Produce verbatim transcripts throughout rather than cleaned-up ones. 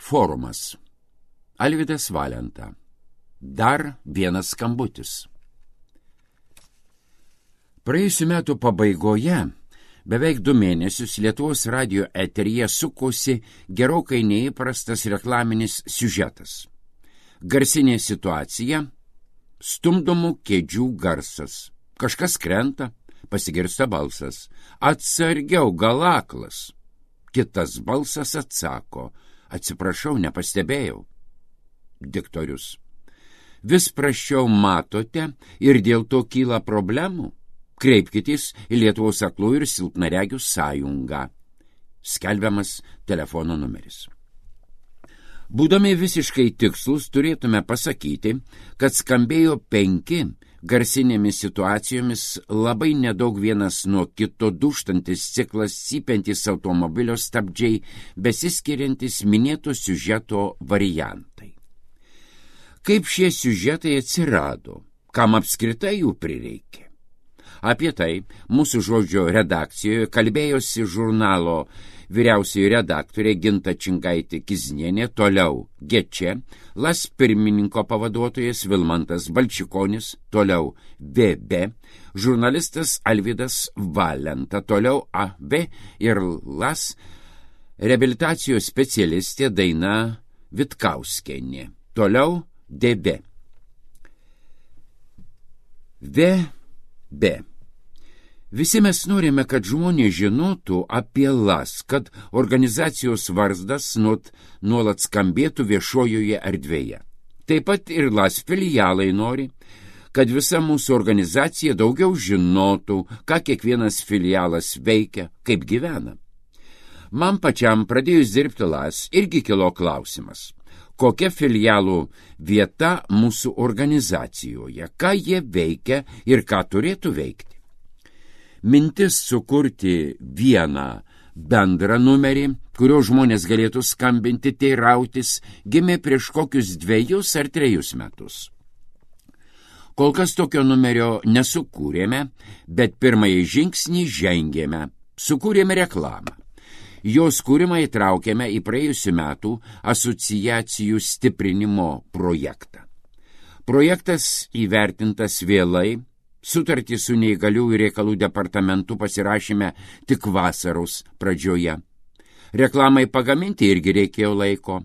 Forumas. Alvydas Valenta. Dar vienas skambutis. Praėjusių metų pabaigoje beveik du mėnesius Lietuvos radijo eteryje sukosi gerokai neįprastas reklaminis siužetas. Garsinė situacija – stumdomų kėdžių garsas. Kažkas krenta, pasigirsta balsas. Atsargiau, gal aklas. Kitas balsas atsako. Atsiprašau, nepastebėjau. Diktorius. Vis prasčiau matote ir dėl to kyla problemų? Kreipkitės į Lietuvos aklųjų ir silpnaregių sąjungą. Skelbiamas telefono numeris. Būdami visiškai tikslus, turėtume pasakyti, kad skambėjo penki garsinėmis situacijomis labai nedaug vienas nuo kito dūžtantis ciklas, cypiantis automobilio stabdžiai, besiskiriantis minėto siužeto variantai. Kaip šie siužetai atsirado, kam apskritai jų prireikė? Apie tai mūsų žodžio redakcijoje kalbėjosi žurnalo vyriausioji redaktorė Ginta Čingaitė-Kiznienė, toliau Gečė, Las pirmininko pavaduotojas Vilmantas Balčikonis, toliau V B, žurnalistas Alvydas Valenta, toliau A B ir Las reabilitacijos specialistė Daina Vitkauskienė, toliau D B. V B. Visi mes norime, kad žmonės žinotų apie Las, kad organizacijos varzdas nuolat skambėtų viešojoje erdvėje. Taip pat ir Las filialai nori, kad visa mūsų organizacija daugiau žinotų, ką kiekvienas filialas veikia, kaip gyvena. Man pačiam pradėjus dirbti Las irgi kilo klausimas, kokia filialų vieta mūsų organizacijoje, ką jie veikia ir ką turėtų veikti. Mintis sukurti vieną bendrą numerį, kurio žmonės galėtų skambinti, teirautis, gimė prieš kokius dviejus ar trejus metus. Kol kas tokio numerio nesukūrėme, bet pirmąjį žingsnį žengėme, sukūrėme reklamą. Jos kūrimą įtraukėme į praėjusių metų asociacijų stiprinimo projektą. Projektas įvertintas vėlai. Sutartį su neįgaliųjų reikalų departamentu pasirašėme tik vasaros pradžioje. Reklamai pagaminti irgi reikėjo laiko.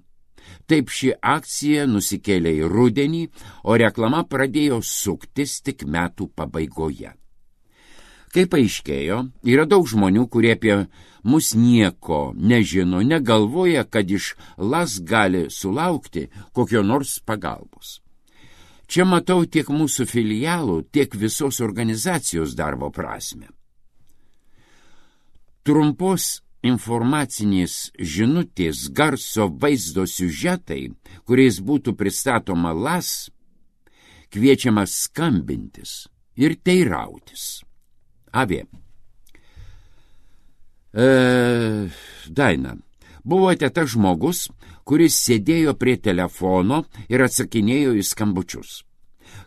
Taip ši akcija nusikėlė į rudenį, o reklama pradėjo suktis tik metų pabaigoje. Kaip aiškėjo, yra daug žmonių, kurie apie mus nieko nežino, negalvoja, kad iš Las gali sulaukti kokio nors pagalbos. Čia matau tiek mūsų filialų, tiek visos organizacijos darbo prasme. Trumpos informacinės žinutės, garso vaizdo siužetai, kuriais būtų pristatoma Las, kviečiama skambintis ir teirautis. Avė. E, Daina. Buvote tas žmogus, kuris sėdėjo prie telefono ir atsakinėjo į skambučius.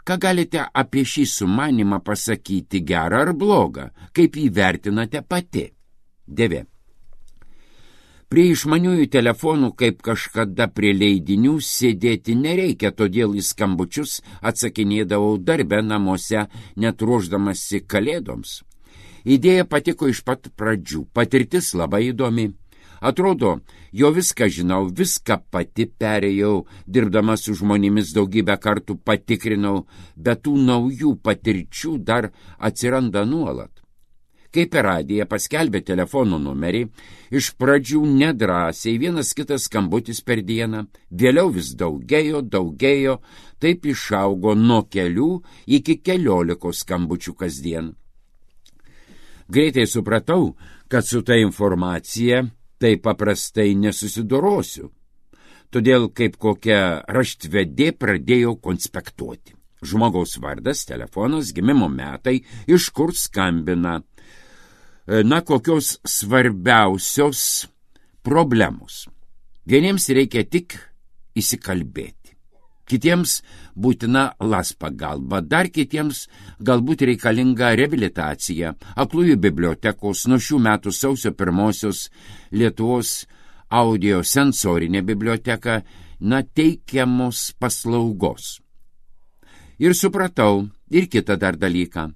Ką galite apie šį sumanimą pasakyti, gerą ar blogą, kaip jį vertinate pati? Devė. Prie išmaniųjų telefonų, kaip kažkada prie leidinių, sėdėti nereikia, todėl į skambučius atsakinėdavau darbe namuose, net ruošdamasi kalėdoms. Idėja patiko iš pat pradžių, patirtis labai įdomi. Atrodo, jo viską žinau, viską pati perėjau, dirbdama su žmonėmis daugybę kartų patikrinau, bet tų naujų patirčių dar atsiranda nuolat. Kai per radiją paskelbė telefono numerį, iš pradžių nedrąsiai vienas kitas skambutis per dieną, vėliau vis daugėjo, daugėjo, taip išaugo nuo kelių iki keliolikos skambučių kasdien. Greitai supratau, kad su ta informacija tai paprastai nesusidorosiu. Todėl kaip kokia raštvedė pradėjau konspektuoti. Žmogaus vardas, telefonas, gimimo metai, iš kur skambina. Na, kokios svarbiausios problemos. Vieniems reikia tik įsikalbėti. Kitiems būtina Las pagalba, dar kitiems galbūt reikalinga reabilitacija. Aklųjų bibliotekos nuo šių metų sausio pirmosios Lietuvos audiosensorinė biblioteka, na, teikiamos paslaugos. Ir supratau ir kitą dar dalyką.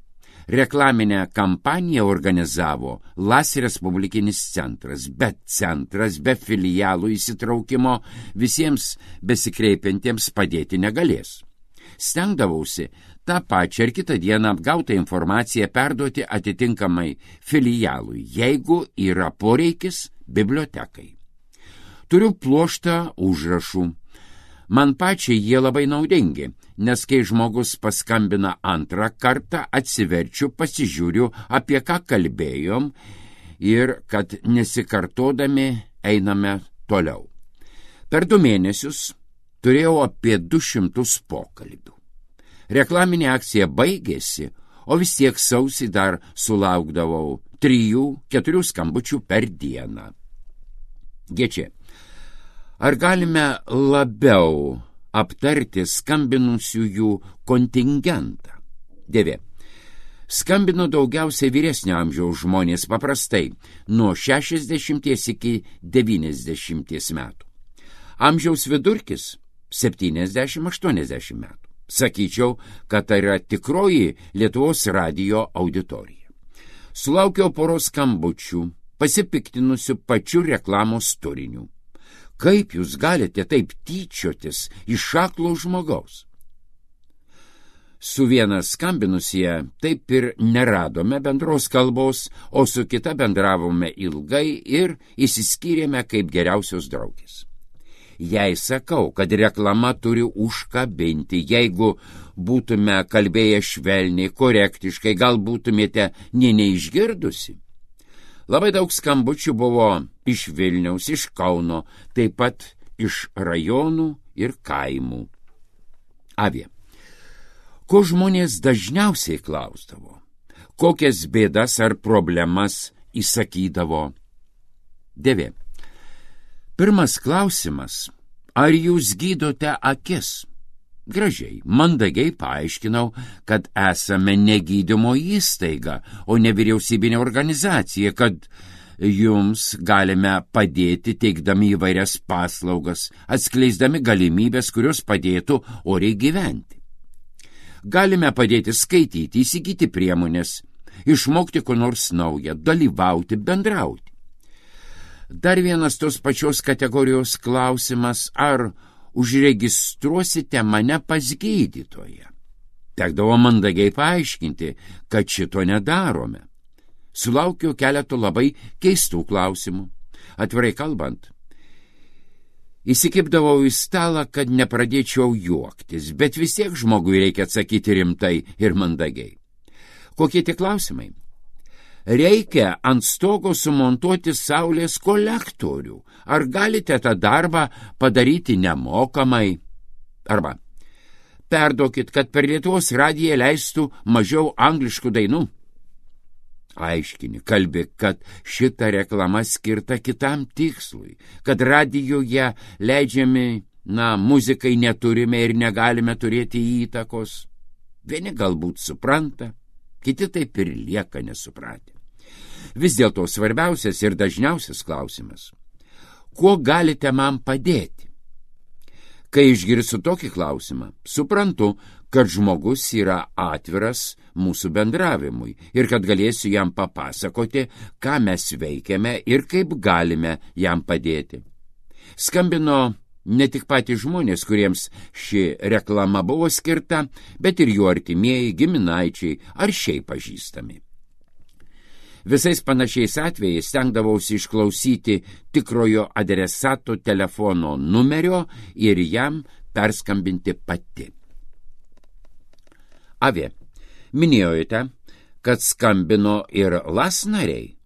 Reklaminę kampaniją organizavo Las Respublikinis centras, bet centras be filialų įsitraukimo visiems besikreipiantiems padėti negalės. Stengdavausi tą pačią ir kitą dieną apgautą informaciją perduoti atitinkamai filialui, jeigu yra poreikis bibliotekai. Turiu pluoštą užrašų. Man pačiai jie labai naudingi, nes kai žmogus paskambina antrą kartą, atsiverčiu, pasižiūriu, apie ką kalbėjom ir kad nesikartodami einame toliau. Per du mėnesius turėjau apie du šimtus pokalbių. Reklaminė akcija baigėsi, o vis tiek sausį dar sulaukdavau trijų, keturių skambučių per dieną. Gečiai. Ar galime labiau aptarti skambinusiųjų kontingentą? Dėvė. Skambino daugiausiai vyresnio amžiaus žmonės, paprastai nuo šešiasdešimties iki devyniasdešimties metų. Amžiaus vidurkis septyniasdešimt aštuoniasdešimt metų. Sakyčiau, kad tai yra tikroji Lietuvos radijo auditorija. Sulaukiau poros skambučių, pasipiktinusių pačiu reklamos turiniu. Kaip jūs galite taip tyčiotis iš aklo žmogaus? Su viena skambinusie taip ir neradome bendros kalbos, o su kita bendravome ilgai ir išsiskyrėme kaip geriausios draugės. Jei sakau, kad reklama turi užkabinti, jeigu būtume kalbėję švelniai, korektiškai, gal būtumėte nė neišgirdusi. Labai daug skambučių buvo iš Vilniaus, iš Kauno, taip pat iš rajonų ir kaimų. Avė. Ko žmonės dažniausiai klausdavo? Kokias bėdas ar problemas įsakydavo? Dėvė. Pirmas klausimas. Ar jūs gydote akis? Gražiai, mandagiai paaiškinau, kad esame ne gydymo įstaiga, o nevyriausybinė organizacija, kad jums galime padėti teikdami įvairias paslaugas, atskleisdami galimybės, kurios padėtų oriai gyventi. Galime padėti skaityti, įsigyti priemonės, išmokti ko nors naują, dalyvauti, bendrauti. Dar vienas tos pačios kategorijos klausimas, ar užregistruosite mane pas gydytoją. Tekdavo mandagiai paaiškinti, kad šito nedarome. Sulaukiau keletų labai keistų klausimų. Atvirai kalbant, įsikibdavau į stalą, kad nepradėčiau juoktis, bet vis tiek žmogui reikia atsakyti rimtai ir mandagiai. Kokie tie klausimai? Reikia ant stogo sumontuoti saulės kolektorių. Ar galite tą darbą padaryti nemokamai? Arba perduokit, kad per Lietuvos radiją leistų mažiau angliškų dainų. Aiškini, kalbi, kad šita reklama skirta kitam tikslui, kad radijoje leidžiami, na, muzikai neturime ir negalime turėti įtakos. Vieni galbūt supranta, kiti taip ir lieka nesupratę. Vis dėlto svarbiausias ir dažniausias klausimas. Kuo galite man padėti? Kai išgirsiu tokį klausimą, suprantu, kad žmogus yra atviras mūsų bendravimui ir kad galėsiu jam papasakoti, ką mes veikiame ir kaip galime jam padėti. Skambino ne tik patys žmonės, kuriems ši reklama buvo skirta, bet ir jų artimieji, giminaičiai ar šiaip pažįstami. Visais panašiais atvejais stengdavausi išklausyti tikrojo adresato telefono numerio ir jam perskambinti pati. Avė, minėjote, kad skambino ir Las nariai.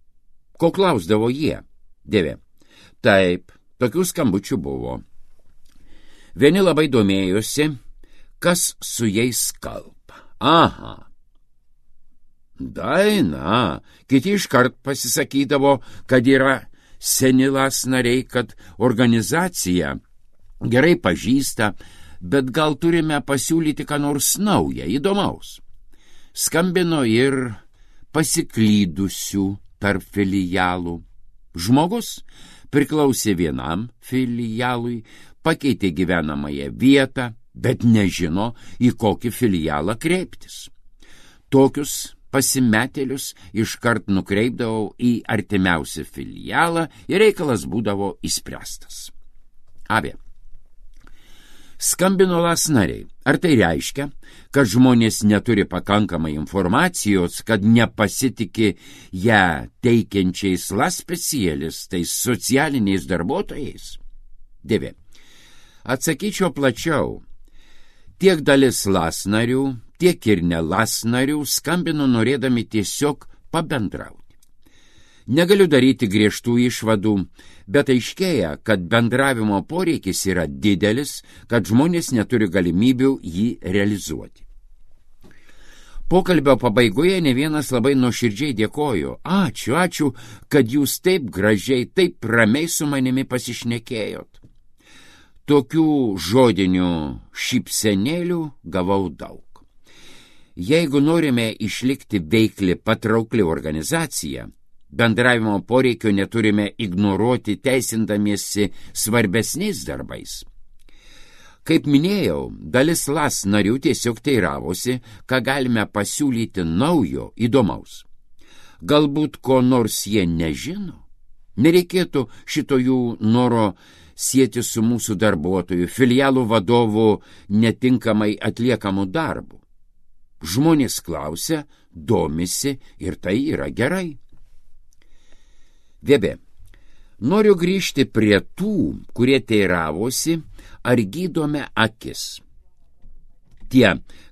Ko klausdavo jie? Dėvė. Taip, tokių skambučių buvo. Vieni labai domėjosi, kas su jais kalba. Aha. Daina, kiti iškart pasisakydavo, kad yra seni Las nariai, kad organizacija gerai pažįsta, bet gal turime pasiūlyti ką nors naują, įdomaus. Skambino ir pasiklydusių tarp filialų. Žmogus priklausė vienam filialui, pakeitė gyvenamąją vietą, bet nežino, į kokį filialą kreiptis. Tokius pasimetėlius iškart nukreipdavau į artimiausią filialą ir reikalas būdavo išspręstas. Avė. Skambino las nariai. Ar tai reiškia, kad žmonės neturi pakankamai informacijos, kad nepasitikė ją teikiančiais las specialistais, socialiniais darbuotojais? Dėvė. Atsakyčiau plačiau. Tiek dalis las narių, tiek ir ne las narių skambino norėdami tiesiog pabendrauti. Negaliu daryti griežtų išvadų, bet aiškėja, kad bendravimo poreikis yra didelis, kad žmonės neturi galimybių jį realizuoti. Pokalbio pabaigoje ne vienas labai nuoširdžiai dėkojo. Ačiū, ačiū, kad jūs taip gražiai, taip ramiai su manimi pasišnekėjot. Tokių žodinių šypsenėlių gavau daug. Jeigu norime išlikti veikli, patraukli organizacija, bendravimo poreikio neturime ignoruoti teisindamiesi svarbesniais darbais. Kaip minėjau, dalis las narių tiesiog teiravosi, ką galime pasiūlyti naujo, įdomaus. Galbūt ko nors jie nežino? Nereikėtų šito jų noro sieti su mūsų darbuotojų, filialų vadovų netinkamai atliekamų darbų. Žmonės klausia, domisi ir tai yra gerai. Vėbė. Noriu grįžti prie tų, kurie teiravosi, ar gydome akis. Tie,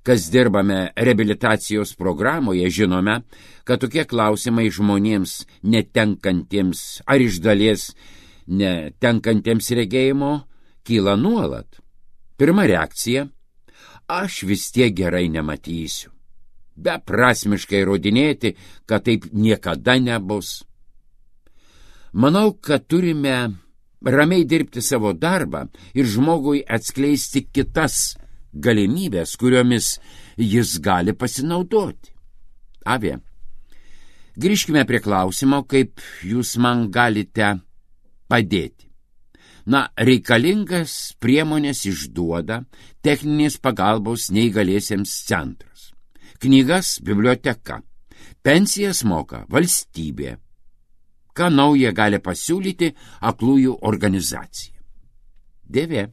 kas dirbame reabilitacijos programoje, žinome, kad tokie klausimai žmonėms netenkantiems ar iš dalies netenkantiems regėjimo kyla nuolat. Pirma reakcija – aš vis tiek gerai nematysiu. Beprasmiškai įrodinėti, kad taip niekada nebus. Manau, kad turime ramiai dirbti savo darbą ir žmogui atskleisti kitas galimybės, kuriomis jis gali pasinaudoti. Avė, grįžkime prie klausimo, kaip jūs man galite padėti. Na, reikalingas priemonės išduoda techninės pagalbos neįgaliesiems centras. Knygas biblioteka. Pensijas moka valstybė. Ką nauja gali pasiūlyti aklųjų organizacija? Dėvė.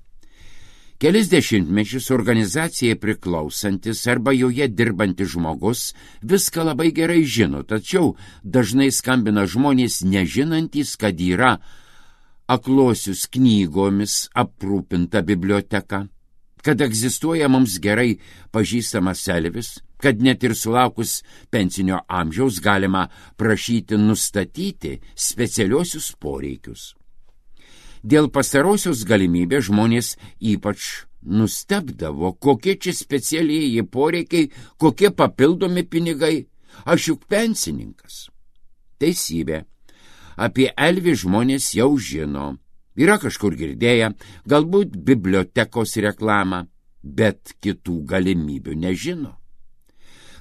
Kelis dešimtmečius organizacijai priklausantis arba joje dirbantis žmogus viską labai gerai žino, tačiau dažnai skambina žmonės nežinantys, kad yra aklosius knygomis aprūpinta biblioteka, kad egzistuoja mums gerai pažįstamas Elvis, kad net ir sulaukus pensinio amžiaus galima prašyti nustatyti specialiosius poreikius. Dėl pastarosios galimybės žmonės ypač nustebdavo, kokie čia specialieji poreikiai, kokie papildomi pinigai, aš juk pensininkas. Teisybė. Apie Elvį žmonės jau žino, yra kažkur girdėję, galbūt bibliotekos reklamą, bet kitų galimybių nežino.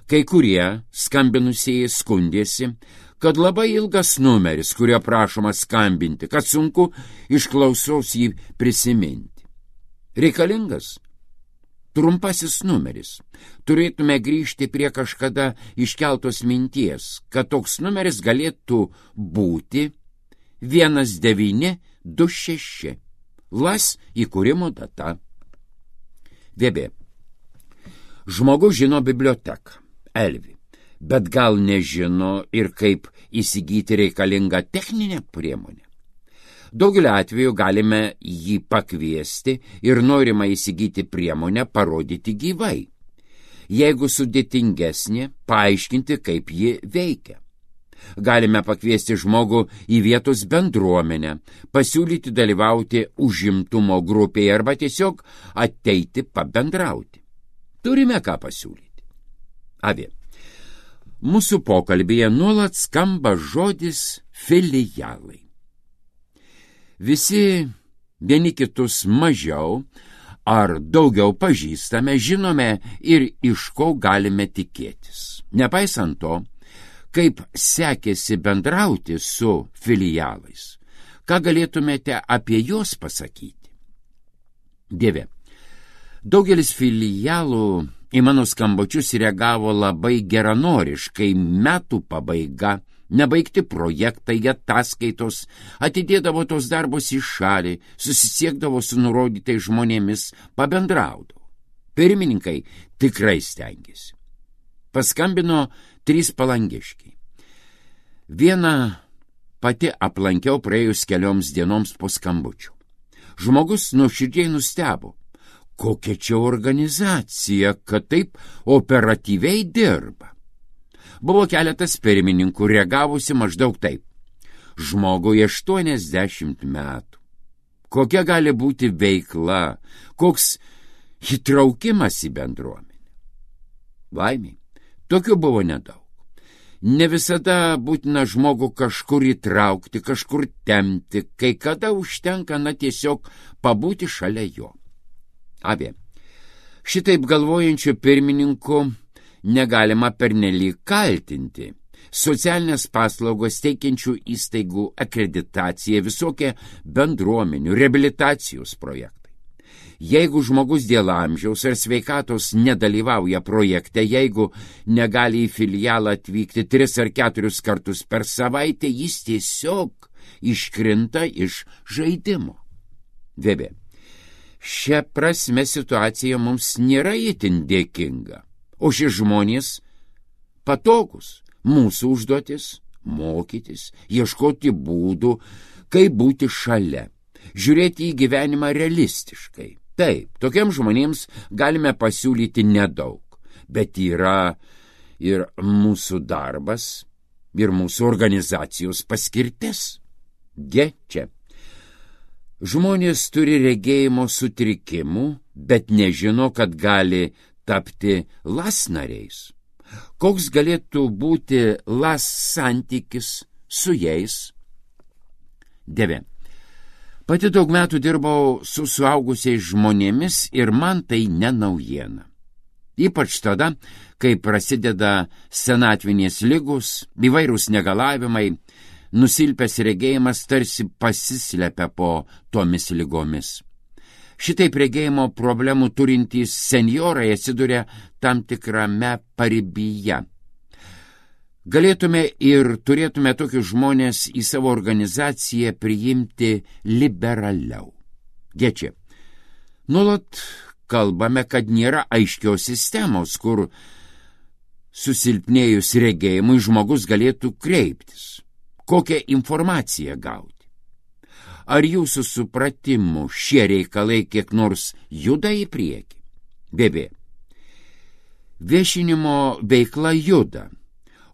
Kai kurie skambinusieji skundėsi, kad labai ilgas numeris, kurio prašoma skambinti, kad sunku iš klausos jį prisiminti. Reikalingas trumpasis numeris. Turėtume grįžti prie kažkada iškeltos minties, kad toks numeris galėtų būti vienas devyni du šeši. Las įkūrimo data. Vėbė. Žmogus žino biblioteką, Elvį, bet gal nežino ir kaip įsigyti reikalingą techninę priemonę. Daugeliu atveju galime jį pakviesti ir norimą įsigyti priemonę parodyti gyvai. Jeigu sudėtingesnė, paaiškinti, kaip ji veikia. Galime pakviesti žmogų į vietos bendruomenę, pasiūlyti dalyvauti užimtumo grupėje arba tiesiog ateiti pabendrauti. Turime ką pasiūlyti. Avė. Mūsų pokalbėje nuolat skamba žodis filialai. Visi vieni kitus mažiau ar daugiau pažįstame, žinome ir iš ko galime tikėtis. Nepaisant to, kaip sekėsi bendrauti su filialais, Ką galėtumėte apie juos pasakyti? Dieve, daugelis filialų į mano skambučius reagavo labai geranoriškai. Metų pabaiga, nebaigti projektai, ataskaitos, atidėdavo tos darbus į šalį, susisiekdavo su nurodytais žmonėmis, pabendraudavo. Pirmininkai tikrai stengiasi. Paskambino trys palangiškiai. Vieną pati aplankiau praėjus kelioms dienoms po skambučių. Žmogus nuoširdžiai nustebo. Kokia čia organizacija, kad taip operatyviai dirba. Buvo keletas pirmininkų reagavusi maždaug taip. Žmogui aštuoniasdešimt metų. Kokia gali būti veikla, koks įtraukimas į bendruomenę. Laimiai, tokių buvo nedaug. Ne visada būtina žmogų kažkur įtraukti, kažkur tempti, kai kada užtenka na tiesiog pabūti šalia jo. Avė, šitaip galvojančių pirmininkų negalima pernelyg kaltinti. Socialinės paslaugos teikiančių įstaigų akreditacija, visokie bendruomenių, reabilitacijos projektai. Jeigu žmogus dėl amžiaus ar sveikatos nedalyvauja projekte, jeigu negali į filialą atvykti tris ar keturis kartus per savaitę, jis tiesiog iškrinta iš žaidimo. Vėbė, šia prasme situacija mums nėra itin dėkinga, o šie žmonės patogus. Mūsų užduotis – mokytis, ieškoti būdų, kaip būti šalia, žiūrėti į gyvenimą realistiškai. Taip, tokiems žmonėms galime pasiūlyti nedaug, bet yra ir mūsų darbas, ir mūsų organizacijos paskirtis. Ge čia. Žmonės turi regėjimo sutrikimų, bet nežino, kad gali tapti las nariais. Koks galėtų būti las santykis su jais? Deve. Pati daug metų dirbau su suaugusiais žmonėmis ir man tai ne naujiena. Ypač tada, kai prasideda senatvinės ligos, įvairūs negalavimai, nusilpęs regėjimas tarsi pasislepia po tomis ligomis. Šitaip regėjimo problemų turintys senjorai atsiduria tam tikrame paribyje. Galėtume ir turėtume tokius žmonės į savo organizaciją priimti liberaliau. Gečia, nuolat kalbame, kad nėra aiškios sistemos, kur susilpnėjus regėjimui žmogus galėtų kreiptis. Kokią informaciją gauti? Ar jūsų supratimu šie reikalai kiek nors juda į priekį? Bėbė. Viešinimo veikla juda.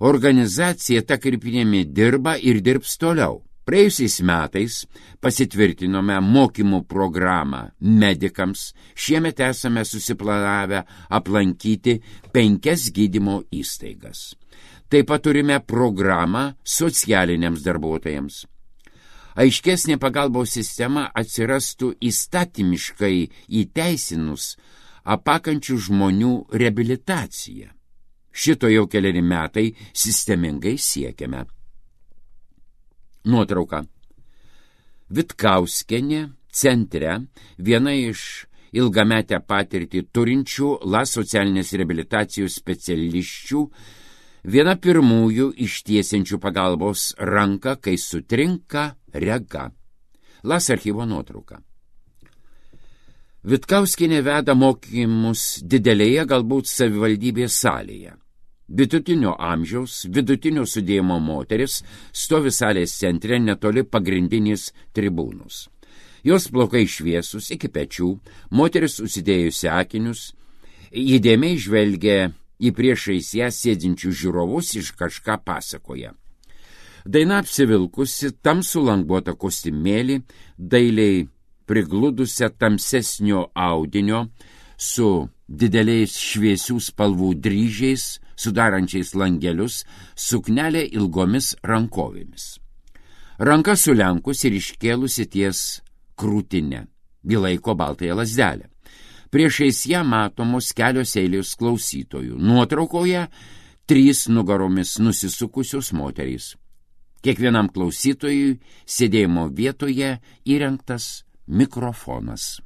Organizacija ta kryptimi dirba ir dirbs toliau. Praėjusiais metais pasitvirtinome mokymų programą medikams. Šiemet esame susiplanavę aplankyti penkias gydymo įstaigas. Taip pat turime programą socialiniams darbuotojams. Aiškesnė pagalbos sistema atsirastų įstatymiškai įteisinus apakančių žmonių reabilitaciją. Šito jau keleri metai sistemingai siekiame. Nuotrauka. Vitkauskienė centre, viena iš ilgametę patirtį turinčių las socialinės reabilitacijos specialisčių, viena pirmųjų ištiesiančių pagalbos ranką, kai sutrinka rega. Las archyvo nuotrauka. Vitkauskienė veda mokymus didelėje, galbūt savivaldybės salėje. Vidutinio amžiaus, vidutinio sudėjimo moteris stovi salės centre netoli pagrindinės tribūnos. Jos plaukai šviesus iki pečių, moteris užsidėjusi akinius, įdėmiai žvelgia į priešais ją sėdinčių žiūrovus, iš kažką pasakoja. Daina apsivilkusi tamsų languotą kostiumėlį, dailiai prigludusią tamsesnio audinio su dideliais šviesių spalvų dryžiais, sudarančiais langelius, suknelė ilgomis rankovėmis. Ranka sulenkus ir iškėlusi ties krūtinę, bilaiko baltąją lazdelę. Priešais ją matomos kelios eilės klausytojų. Nuotraukoje trys nugaromis nusisukusios moterys. Kiekvienam klausytojui sėdėjimo vietoje įrengtas mikrofonas.